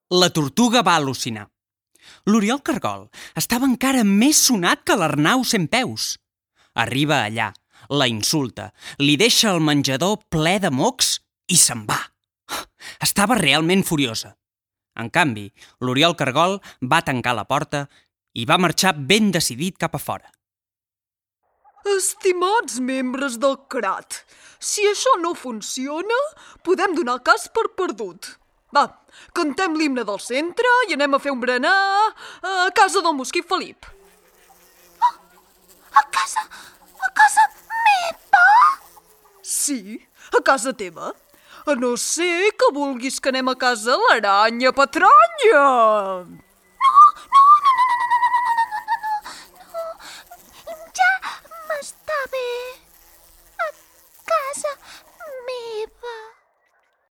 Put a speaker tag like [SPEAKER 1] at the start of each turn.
[SPEAKER 1] La tortuga va al·lucinar. L'Oriol Cargol estava encara més sonat que l'Arnau Centpeus. Arriba allà, la insulta, li deixa el menjador ple de mocs i se'n va. Estava realment furiosa. En canvi, l'Oriol Cargol va tancar la porta i va marxar ben decidit cap a fora.
[SPEAKER 2] Estimats membres del CRAT, si això no funciona, podem donar el cas per perdut. Va, cantem l'himne del centre i anem a fer un berenar a casa del mosquit Felip.
[SPEAKER 3] A casa meva?
[SPEAKER 2] Sí, a casa teva. A no ser que vulguis que anem a casa l'aranya patranya.